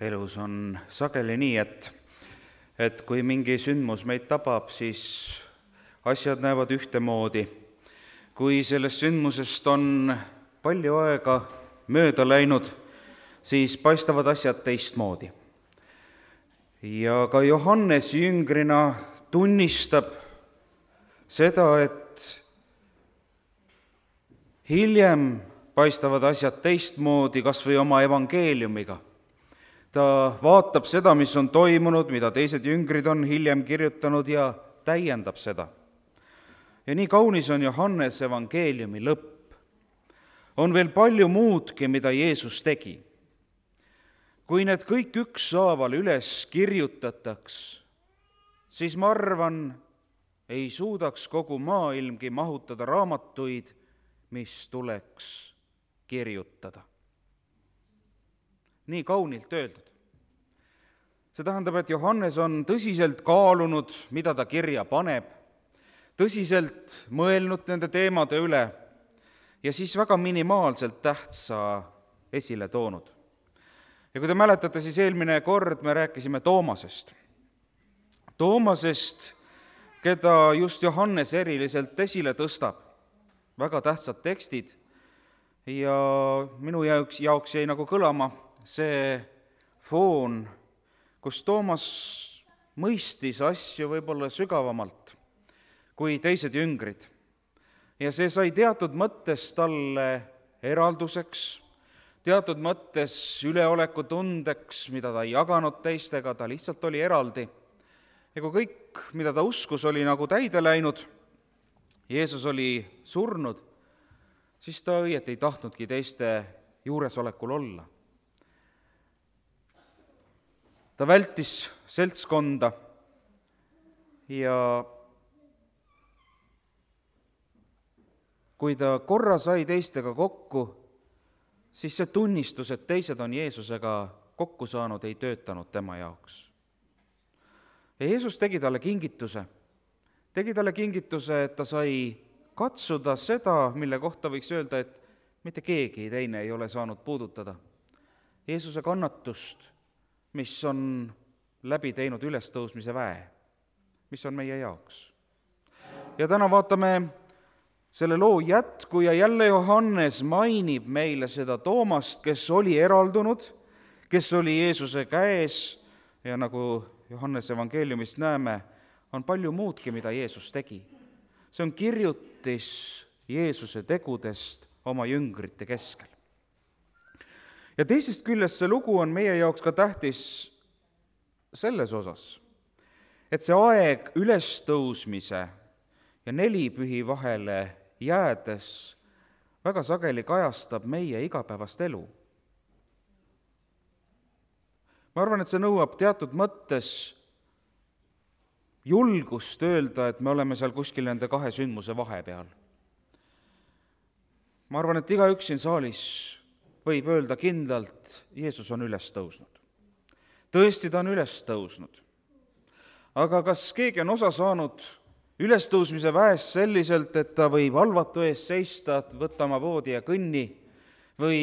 Elus on sageli nii, et kui mingi sündmus meid tabab, siis asjad näevad ühtemoodi. Kui sellest sündmusest on palju aega mööda läinud, siis paistavad asjad teistmoodi. Ja ka Johannes jüngrina tunnistab seda, et hiljem paistavad asjad teistmoodi, kas või oma evangeeliumiga. Ta vaatab seda, mis on toimunud, mida teised jüngrid on hiljem kirjutanud ja täiendab seda. Ja nii kaunis on Johannese evangeeliumi lõpp. On veel palju muudki, mida Jeesus tegi. Kui need kõik ükshaaval üles kirjutataks, siis ma arvan, ei suudaks kogu maailmgi mahutada raamatuid, mis tuleks kirjutada. Nii kaunilt öeldud. See tähendab, et Johannes on tõsiselt kaalunud, mida ta kirja paneb, tõsiselt mõelnud nende teemade üle ja siis väga minimaalselt tähtsa esile toonud. Ja kui te mäletate, siis eelmine kord me rääkisime Toomasest. Toomasest, keda just Johannes eriliselt esile tõstab. Väga tähtsad tekstid ja minu jaoks jäi nagu kõlama see foon, kus Toomas mõistis asju võib-olla sügavamalt kui teised jüngrid. Ja see sai teatud mõttes talle eralduseks, teatud mõttes üleolekutundeks, mida ta ei jaganud teistega, ta lihtsalt oli eraldi. Ja kui kõik, mida ta uskus, oli nagu täide läinud, Jeesus oli surnud, siis ta õieti ei tahtnudki teiste juuresolekul olla. Ta vältis seltskonda ja kui ta korra sai teistega kokku, siis see tunnistus, et teised on Jeesusega kokku saanud, ei töötanud tema jaoks. Ja Jeesus tegi talle kingituse, et ta sai katsuda seda, mille kohta võiks öelda, et mitte keegi teine ei ole saanud puudutada. Jeesuse kannatust, mis on läbi teinud ülestõusmise väe, mis on meie jaoks. Ja täna vaatame selle loo jätku ja jälle Johannes mainib meile seda Toomast, kes oli eraldunud, kes oli Jeesuse käes ja nagu Johannes evangeeliumist näeme, on palju muudki, mida Jeesus tegi. See on kirjutis Jeesuse tegudest oma jüngrite keskel. Ja teisest küljest see lugu on meie jaoks ka tähtis selles osas, et see aeg ülestõusmise ja nelipühi vahele jäädes väga sageli kajastab meie igapäevast elu. Ma arvan, et see nõuab teatud mõttes julgust öelda, et me oleme seal kuskil nende kahe sündmuse vahepeal. Ma arvan, et igaüks siin saalis võib öelda kindlalt, Jeesus on üles tõusnud. Tõesti, ta on üles tõusnud. Aga kas keegi on osa saanud ülestõusmise väest selliselt, et ta võib halvatu ees seista, võtta oma voodi ja kõnni või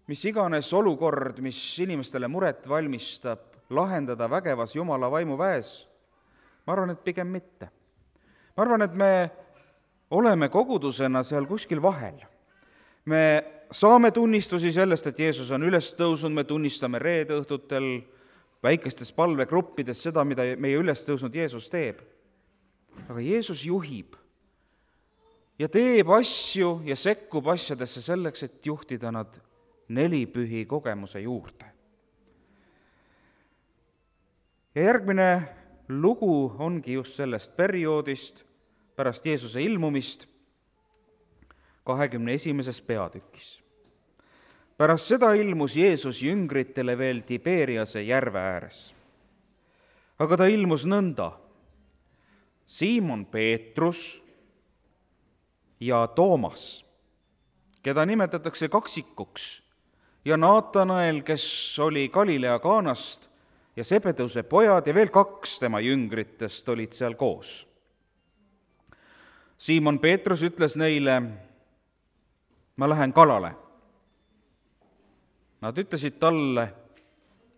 mis iganes olukord, mis inimestele muret valmistab, lahendada vägevas Jumala vaimu väes? Ma arvan, et pigem mitte. Ma arvan, et me oleme kogudusena seal kuskil vahel. Me saame tunnistusi sellest, et Jeesus on üles tõusnud, me tunnistame reedeõhtutel väikestes palvegruppides seda, mida meie üles tõusnud Jeesus teeb. Aga Jeesus juhib ja teeb asju ja sekkub asjadesse selleks, et juhtida nad nelipühi kogemuse juurde. Ja järgmine lugu ongi just sellest perioodist pärast Jeesuse ilmumist 21. peatükis. Pärast seda ilmus Jeesus jüngritele veel Tiberiase järve ääres. Aga ta ilmus nõnda. Siimon Peetrus ja Toomas, keda nimetatakse kaksikuks, ja Naatanael, kes oli Galilea Kaanast, ja Sebedeuse pojad ja veel 2 tema jüngritest olid seal koos. Siimon Peetrus ütles neile, ma lähen kalale. Nad ütlesid talle,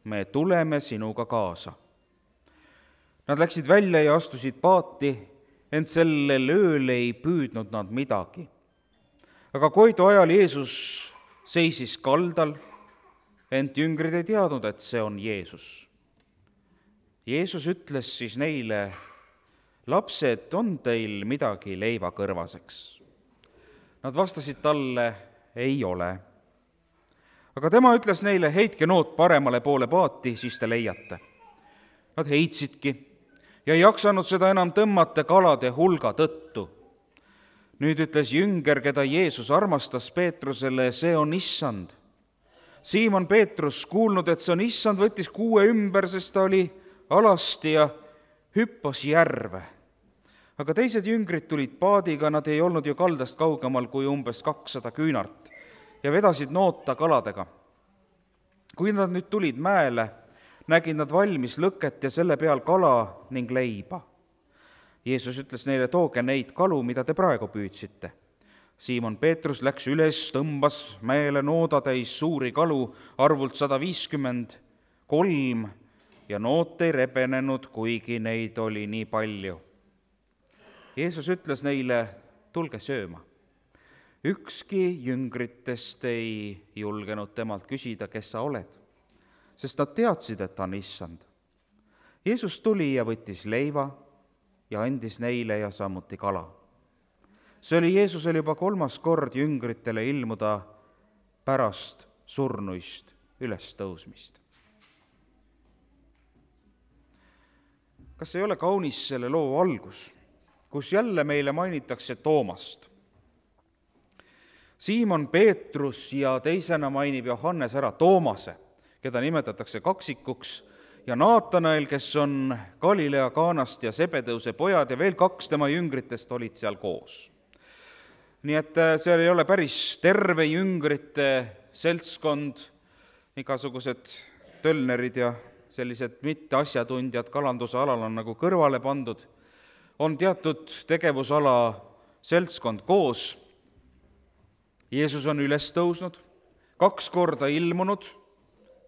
me tuleme sinuga kaasa. Nad läksid välja ja astusid paati, ent sellel ööl ei püüdnud nad midagi. Aga Koidu ajal Jeesus seisis kaldal, ent jüngrid ei teadnud, et see on Jeesus. Jeesus ütles siis neile, lapsed, on teil midagi leivakõrvaseks? Nad vastasid talle, ei ole. Aga tema ütles neile, heitke noot paremale poole paati, siis te leiate. Nad heitsidki ja ei jaksanud seda enam tõmmata kalade hulga tõttu. Nüüd ütles jünger, keda Jeesus armastas Peetrusele, see on issand. Siimon Peetrus, kuulnud, et see on issand, võttis kuue ümber, sest ta oli alasti ja hüppas järve. Aga teised jüngrid tulid paadiga, nad ei olnud ju kaldast kaugemal kui umbes 200 küünart ja vedasid noota kaladega. Kui nad nüüd tulid mäele, nägid nad valmis lõket ja selle peal kala ning leiba. Jeesus ütles neile, tooge neid kalu, mida te praegu püüdsite. Siimon Peetrus läks üles, tõmbas mäele noodatäis suuri kalu, arvult 153 ja noot ei rebenenud, kuigi neid oli nii palju. Jeesus ütles neile, tulge sööma. Ükski jüngritest ei julgenud temalt küsida, kes sa oled, sest nad teadsid, et ta on issand. Jeesus tuli ja võttis leiva ja andis neile ja samuti kala. See oli Jeesusel juba 3. kord jüngritele ilmuda pärast surnuist ülestõusmist. Kas ei ole kaunis selle loo algus, kus jälle meile mainitakse Toomast? Siimon Peetrus ja teisena mainib Johannes ära Toomase, keda nimetatakse kaksikuks, ja Naatanael, kes on Galilea Kaanast ja Sebedeuse pojad, ja veel 2 tema jüngritest olid seal koos. Nii et seal ei ole päris terve jüngrite seltskond, igasugused tölnerid ja sellised mitteasjatundjad kalanduse alal on nagu kõrvale pandud. On teatud tegevusala seltskond koos. Jeesus on üles tõusnud, 2 korda ilmunud,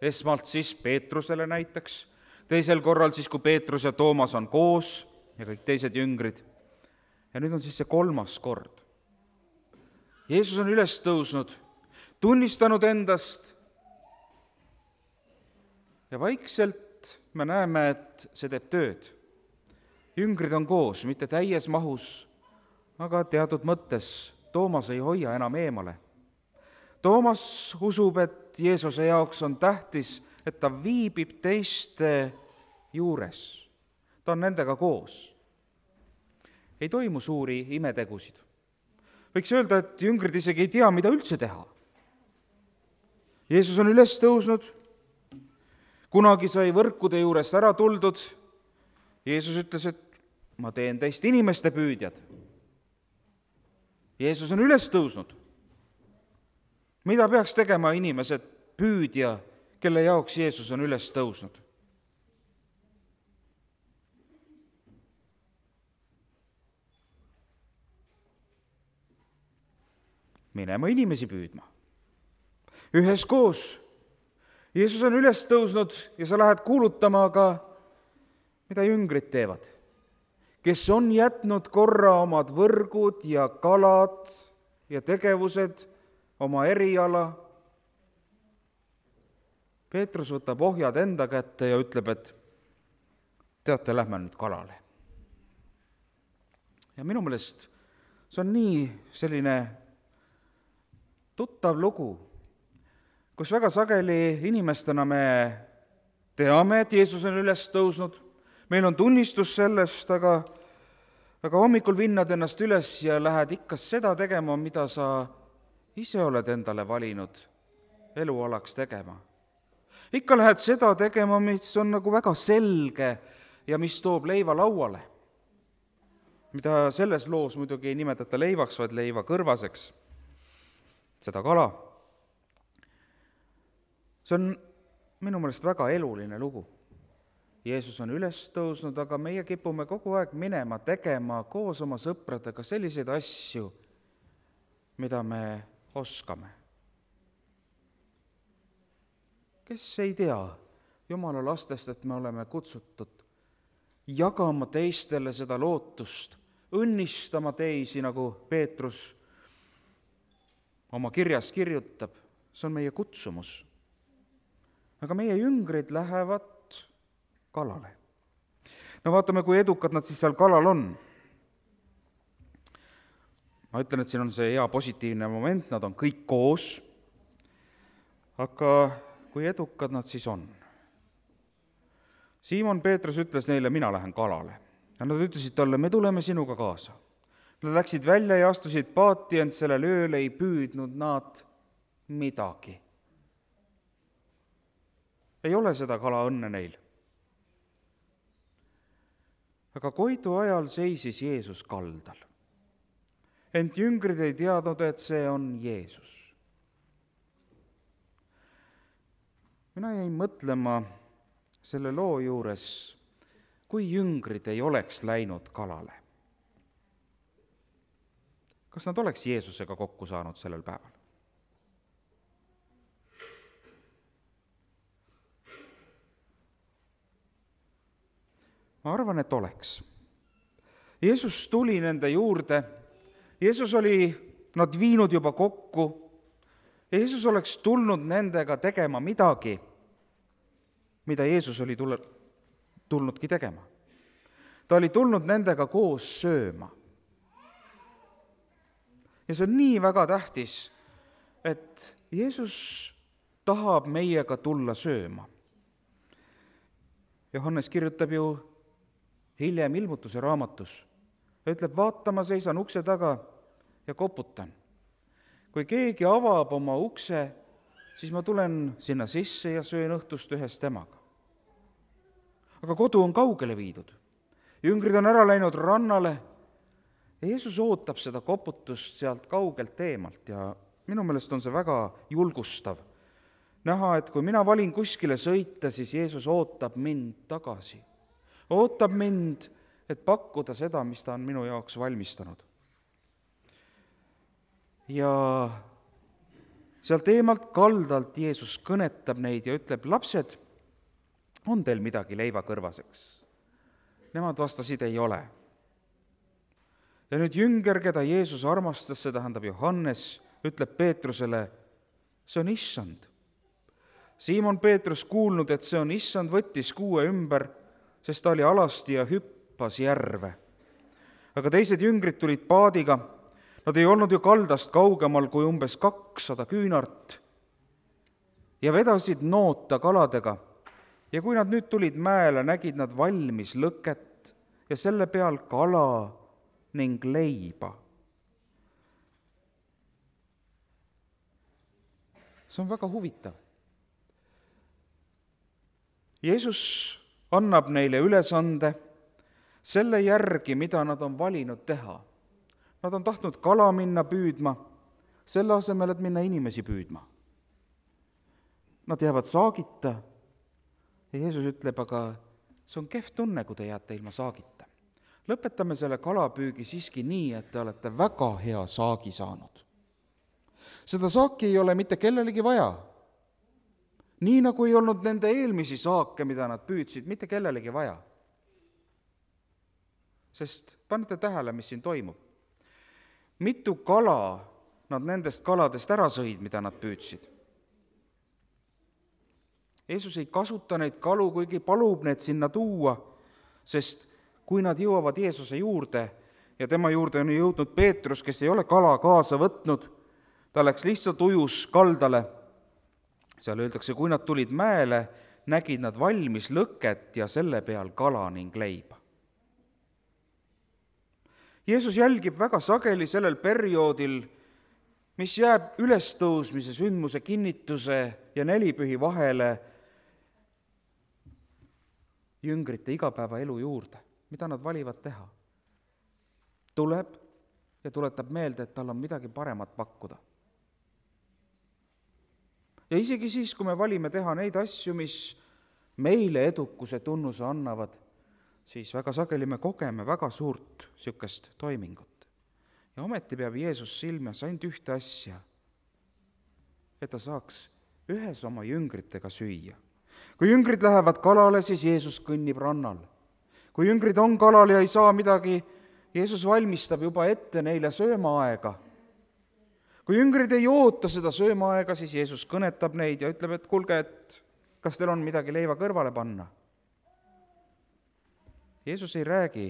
esmalt siis Peetrusele näiteks, teisel korral siis, kui Peetrus ja Toomas on koos ja kõik teised jüngrid. Ja nüüd on siis see 3. kord. Jeesus on üles tõusnud, tunnistanud endast ja vaikselt me näeme, et see teeb tööd. Jüngrid on koos, mitte täies mahus, aga teatud mõttes Toomas ei hoia enam eemale. Toomas usub, et Jeesuse jaoks on tähtis, et ta viibib teiste juures. Ta on nendega koos. Ei toimu suuri imetegusid. Võiks öelda, et jüngrid isegi ei tea, mida üldse teha. Jeesus on üles tõusnud, kunagi sai võrkude juurest ära tuldud. Jeesus ütles, et ma teen teist inimeste püüdjad. Jeesus on üles tõusnud. Mida peaks tegema inimesed püüdja, kelle jaoks Jeesus on üles tõusnud? Minema inimesi püüdma. Üheskoos. Jeesus on üles tõusnud ja sa lähed kuulutama, aga mida jüngrid teevad? Kes on jätnud korra omad võrgud ja kalad ja tegevused, oma eriala. Peetrus võtab ohjad enda kätte ja ütleb, et teate, lähme nüüd kalale. Ja minu meelest see on nii selline tuttav lugu, kus väga sageli inimestena me teame, et Jeesus on üles tõusnud, meil on tunnistus sellest, aga hommikul vinnad ennast üles ja lähed ikka seda tegema, mida sa ise oled endale valinud elualaks tegema. Ikka lähed seda tegema, mis on nagu väga selge ja mis toob leiva lauale, mida selles loos muidugi ei nimetata leivaks, vaid leiva kõrvaseks, seda kala. See on minu meelest väga eluline lugu. Jeesus on üles tõusnud, aga meie kipume kogu aeg minema, tegema koos oma sõpradega selliseid asju, mida me oskame. kes ei tea Jumala lastest, et me oleme kutsutud jagama teistele seda lootust, õnnistama teisi, nagu Peetrus oma kirjas kirjutab, see on meie kutsumus. Aga meie jüngrid lähevad kalale. No vaatame, kui edukad nad siis seal kalal on. Ma ütlen, et siin on see hea positiivne moment, nad on kõik koos, aga kui edukad nad siis on? Siimon Peetrus ütles neile, mina lähen kalale. Ja nad ütlesid talle, me tuleme sinuga kaasa. Nad läksid välja ja astusid paati, ent sellel ööl ei püüdnud nad midagi. Ei ole seda kalaõnne neil. Aga Koidu ajal seisis Jeesus kaldal. Ent jüngrid ei teadnud, et see on Jeesus. Mina jäin mõtlema selle loo juures, kui jüngrid ei oleks läinud kalale. Kas nad oleks Jeesusega kokku saanud sellel päeval? Ma arvan, et oleks. Jeesus tuli nende juurde, Jeesus oli nad viinud juba kokku, Jeesus oleks tulnud nendega tegema midagi, mida Jeesus oli tulnudki tegema. Ta oli tulnud nendega koos sööma. Ja see on nii väga tähtis, et Jeesus tahab meiega tulla sööma. Johannes kirjutab ju hiljem Ilmutuse raamatus. Ta ütleb, vaata, ma seisan ukse taga ja koputan. Kui keegi avab oma ukse, siis ma tulen sinna sisse ja söön õhtust ühes temaga. Aga kodu on kaugele viidud. Jüngrid on ära läinud rannale. Jeesus ootab seda koputust sealt kaugelt eemalt ja minu meelest on see väga julgustav. Näha, et kui mina valin kuskile sõita, siis Jeesus ootab mind tagasi. Ootab mind, et pakkuda seda, mis ta on minu jaoks valmistanud. Ja sealt eemalt kaldalt Jeesus kõnetab neid ja ütleb, lapsed, on teil midagi leiva kõrvaseks? Nemad vastasid, ei ole. Ja nüüd jünger, keda Jeesus armastas, see tähendab Johannes, ütleb Peetrusele, see on issand. Siimon Peetrus kuulnud, et see on issand, võttis kuue ümber, sest ta oli alasti ja hüppas järve. Aga teised jüngrid tulid paadiga, nad ei olnud ju kaldast kaugemal kui umbes 200 küünart ja vedasid noota kaladega. Ja kui nad nüüd tulid mäele, nägid nad valmis lõket ja selle peal kala ning leiba. See on väga huvitav. Jeesus annab neile ülesande selle järgi, mida nad on valinud teha. Nad on tahtnud kala minna püüdma, selle asemel, et minna inimesi püüdma. Nad jäävad saagita ja Jeesus ütleb, aga see on kehv tunne, kui te jääte ilma saagita. Lõpetame selle kalapüügi siiski nii, et te olete väga hea saagi saanud. Seda saaki ei ole mitte kellelegi vaja. Nii nagu ei olnud nende eelmisi saake, mida nad püüdsid, mitte kellelegi vaja. Sest panete tähele, mis siin toimub. Mitu kala nad nendest kaladest ära sõid, mida nad püüdsid. Jeesus ei kasuta neid kalu, kuigi palub need sinna tuua, sest kui nad jõuavad Jeesuse juurde ja tema juurde on jõudnud Peetrus, kes ei ole kala kaasa võtnud, ta läks lihtsalt ujus kaldale. Seal öeldakse, kui nad tulid mäele, nägid nad valmis lõket ja selle peal kala ning leiba. Jeesus jälgib väga sageli sellel perioodil, mis jääb ülestõusmise sündmuse kinnituse ja nelipühi vahele jüngrite igapäevaelu juurde, mida nad valivad teha. Tuleb ja tuletab meelde, et tal on midagi paremat pakkuda. Ja isegi siis, kui me valime teha neid asju, mis meile edukuse tunnuse annavad, siis väga sageli me kogeme väga suurt sükest toimingut. Ja ometi peab Jeesus silmas ainult ühte asja, et ta saaks ühes oma jüngritega süüa. Kui jüngrid lähevad kalale, siis Jeesus kõnnib rannal. Kui jüngrid on kalal ja ei saa midagi, Jeesus valmistab juba ette neile söömaaega. Kui jüngrid ei oota seda söömaaega, siis Jeesus kõnetab neid ja ütleb, et kuulge, et kas teil on midagi leiva kõrvale panna. Jeesus ei räägi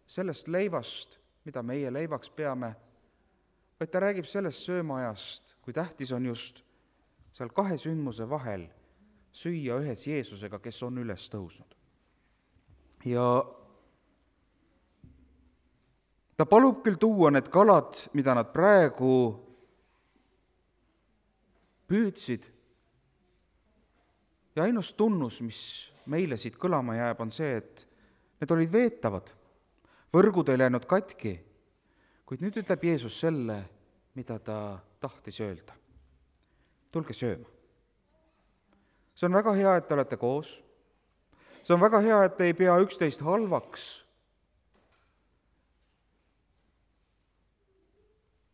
sellest leivast, mida meie leivaks peame, vaid ta räägib sellest söömaajast, kui tähtis on just seal kahe sündmuse vahel süüa ühes Jeesusega, kes on üles tõusnud. Ja ta palub küll tuua need kalad, mida nad praegu püüdsid, ja ainus tunnus, mis meile siit kõlama jääb, on see, et need olid veetavad, võrgud ei läinud katki, kuid nüüd ütleb Jeesus selle, mida ta tahtis öelda. Tulge sööma. See on väga hea, et te olete koos. See on väga hea, et te ei pea üksteist halvaks.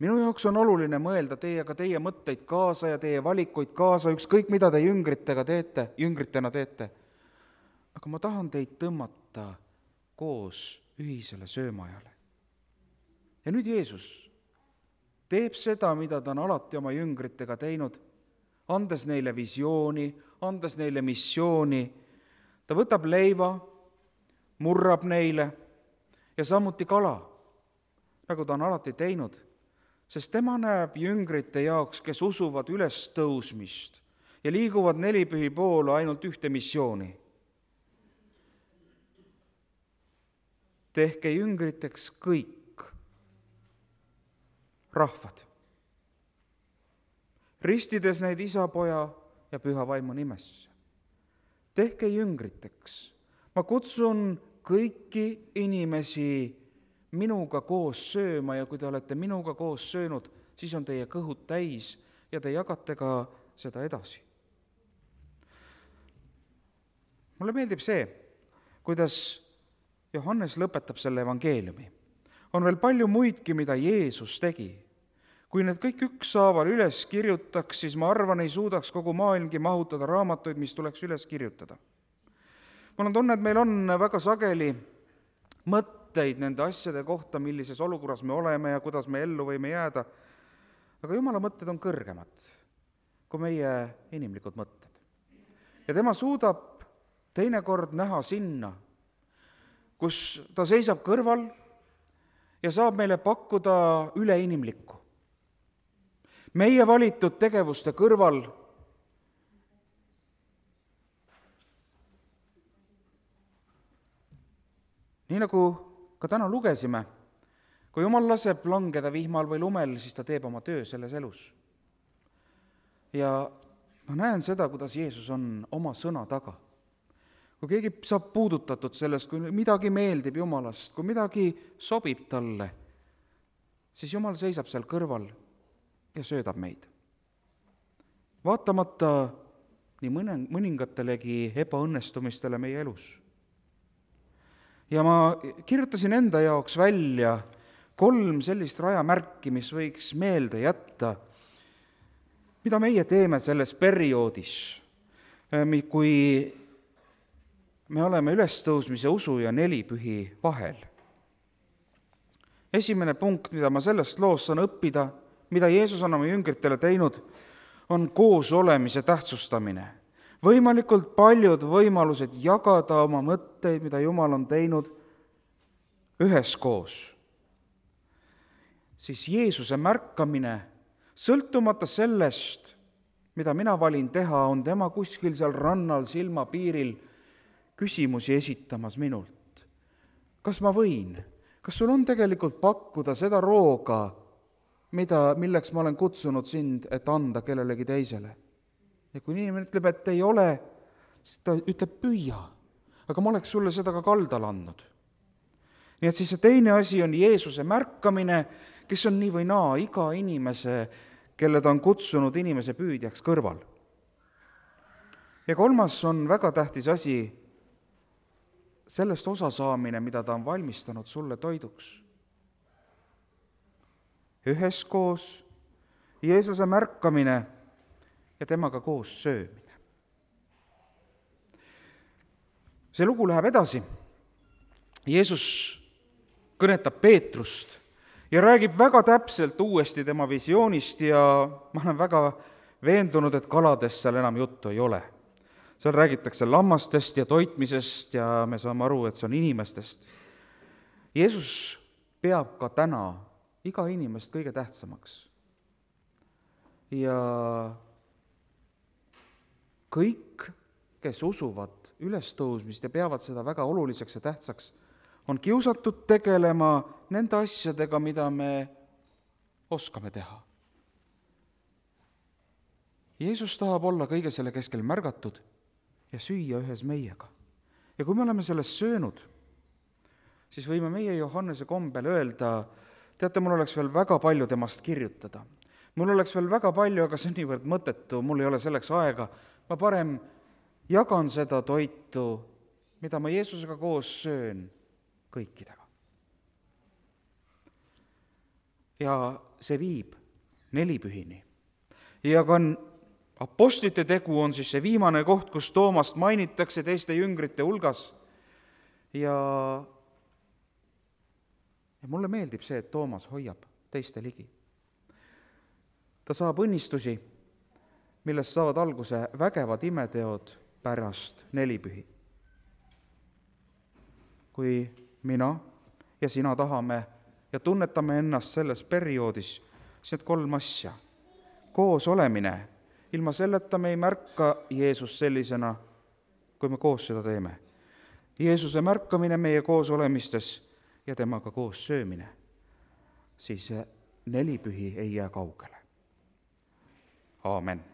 Minu jaoks on oluline mõelda teiega teie mõtteid kaasa ja teie valikuid kaasa, ükskõik mida te jüngritena teete. Aga ma tahan teid tõmmata koos ühisele söömajale. Ja nüüd Jeesus teeb seda, mida ta on alati oma jüngritega teinud, andes neile visiooni, andes neile missiooni. Ta võtab leiva, murrab neile ja samuti kala, nagu ta on alati teinud, sest tema näeb jüngrite jaoks, kes usuvad ülestõusmist ja liiguvad nelipühi poole ainult ühte missiooni. Tehke jüngriteks kõik rahvad, ristides neid Isa, Poja ja Püha Vaimu nimesse. Tehke jüngriteks. Ma kutsun kõiki inimesi minuga koos sööma ja kui te olete minuga koos söönud, siis on teie kõhud täis ja te jagate ka seda edasi. Mulle meeldib see, kuidas Johannes lõpetab selle evangeeliumi. On veel palju muidki, mida Jeesus tegi. Kui need kõik ükshaaval üles kirjutaks, siis ma arvan, ei suudaks kogu maailmgi mahutada raamatuid, mis tuleks üles kirjutada. Mul on tunne, et meil on väga sageli mõtteid nende asjade kohta, millises olukorras me oleme ja kuidas me ellu võime jääda. Aga Jumala mõtted on kõrgemad kui meie inimlikud mõtted. Ja tema suudab teinekord näha sinna, kus ta seisab kõrval ja saab meile pakkuda üleinimlikku. Meie valitud tegevuste kõrval nii nagu ka täna lugesime, kui Jumal laseb langeda vihmal või lumel, siis ta teeb oma töö selles elus. Ja ma näen seda, kuidas Jeesus on oma sõna taga. Kui keegi saab puudutatud sellest, kui midagi meeldib Jumalast, kui midagi sobib talle, siis Jumal seisab seal kõrval ja söödab meid. Vaatamata nii mõningatelegi ebaõnnestumistele meie elus. Ja ma kirjutasin enda jaoks välja 3 sellist rajamärki, mis võiks meelde jätta, mida meie teeme selles perioodis, kui me oleme ülestõusmise usu ja nelipühi vahel. Esimene punkt, mida ma sellest loost saan õppida, mida Jeesus on oma jüngritele teinud, on koos olemise tähtsustamine. Võimalikult paljud võimalused jagada oma mõtteid, mida Jumal on teinud üheskoos. Siis Jeesuse märkamine, sõltumata sellest, mida mina valin teha, on tema kuskil seal rannal silmapiiril küsimusi esitamas minult. Kas ma võin? Kas sul on tegelikult pakkuda seda rooga, milleks ma olen kutsunud sind, et anda kellelegi teisele? Ja kui inimene ütleb, et ei ole, siis ta ütleb püüa, aga ma oleks sulle seda ka kaldal andnud. Nii et siis see teine asi on Jeesuse märkamine, kes on nii või naa iga inimese, kelle ta on kutsunud inimese püüdjaks kõrval. Ja 3. on väga tähtis asi, sellest osa saamine, mida ta on valmistanud sulle toiduks. Üheskoos Jeesuse märkamine ja temaga koos söömine. See lugu läheb edasi. Jeesus kõnetab Peetrust ja räägib väga täpselt uuesti tema visioonist ja ma olen väga veendunud, et kaladest seal enam juttu ei ole. Seal räägitakse lammastest ja toitmisest ja me saame aru, et see on inimestest. Jeesus peab ka täna iga inimest kõige tähtsamaks. Ja kõik, kes usuvad ülestõusmist ja peavad seda väga oluliseks ja tähtsaks, on kiusatud tegelema nende asjadega, mida me oskame teha. Jeesus tahab olla kõige selle keskel märgatud ja süüa ühes meiega. Ja kui me oleme sellest söönud, siis võime meie Johannese kombel öelda, teate, mul oleks veel väga palju temast kirjutada. Mul oleks veel väga palju, aga see on niivõrd mõttetu, mul ei ole selleks aega. Ma parem jagan seda toitu, mida ma Jeesusega koos söön, kõikidega. Ja see viib nelipühini. Ja ka apostlite tegu on siis see viimane koht, kus Toomast mainitakse teiste jüngrite hulgas. Ja mulle meeldib see, et Toomas hoiab teiste ligi. Ta saab õnnistusi, millest saavad alguse vägevad imeteod pärast nelipühi. Kui mina ja sina tahame ja tunnetame ennast selles perioodis, siis need 3 asja. Koos olemine, ilma selleta me ei märka Jeesus sellisena, kui me koos seda teeme. Jeesuse märkamine meie koos olemistes ja temaga koos söömine, siis nelipühi ei jää kaugele. Aamen.